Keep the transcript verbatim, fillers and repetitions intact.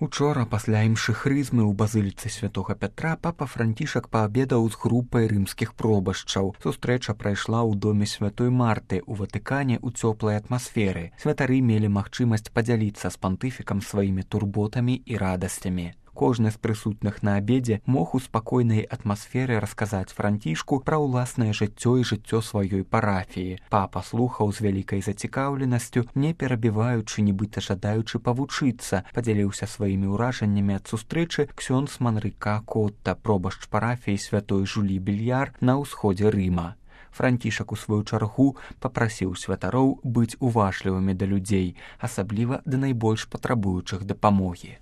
Учора пасля імшыхрызмы ў базыліцы святога Пятра папа Францішак паабедаў з групай рымскіх пробашчаў. Сустрэча прайшла ў доме святой Марты ў Ватыкане ў цёплай атмасферы. Святары мелі магчымасць падзяліцца з пантыфікам сваімі турботамі і радасцямі. Кожны з прысутных на абедзе мог у спакойнай атмасферы расказаць Францішку пра ўласнае жыццё і жыццё сваёй парафіі. Папа слухаў з вялікай зацікаўленасцю, не перабіваючы, нібыта жадаючы павучыцца, падзяліўся сваімі ўражаннямі ад сустрэчы ксёндз Манрыка Котта, пробашч парафіі святой Жулі Більяр на ўсходзе Рыма. Францішак у сваю чаргу папрасіў святароў быць уважлівымі да людзей, асабліва да найбольш патрабуючых дапамогі.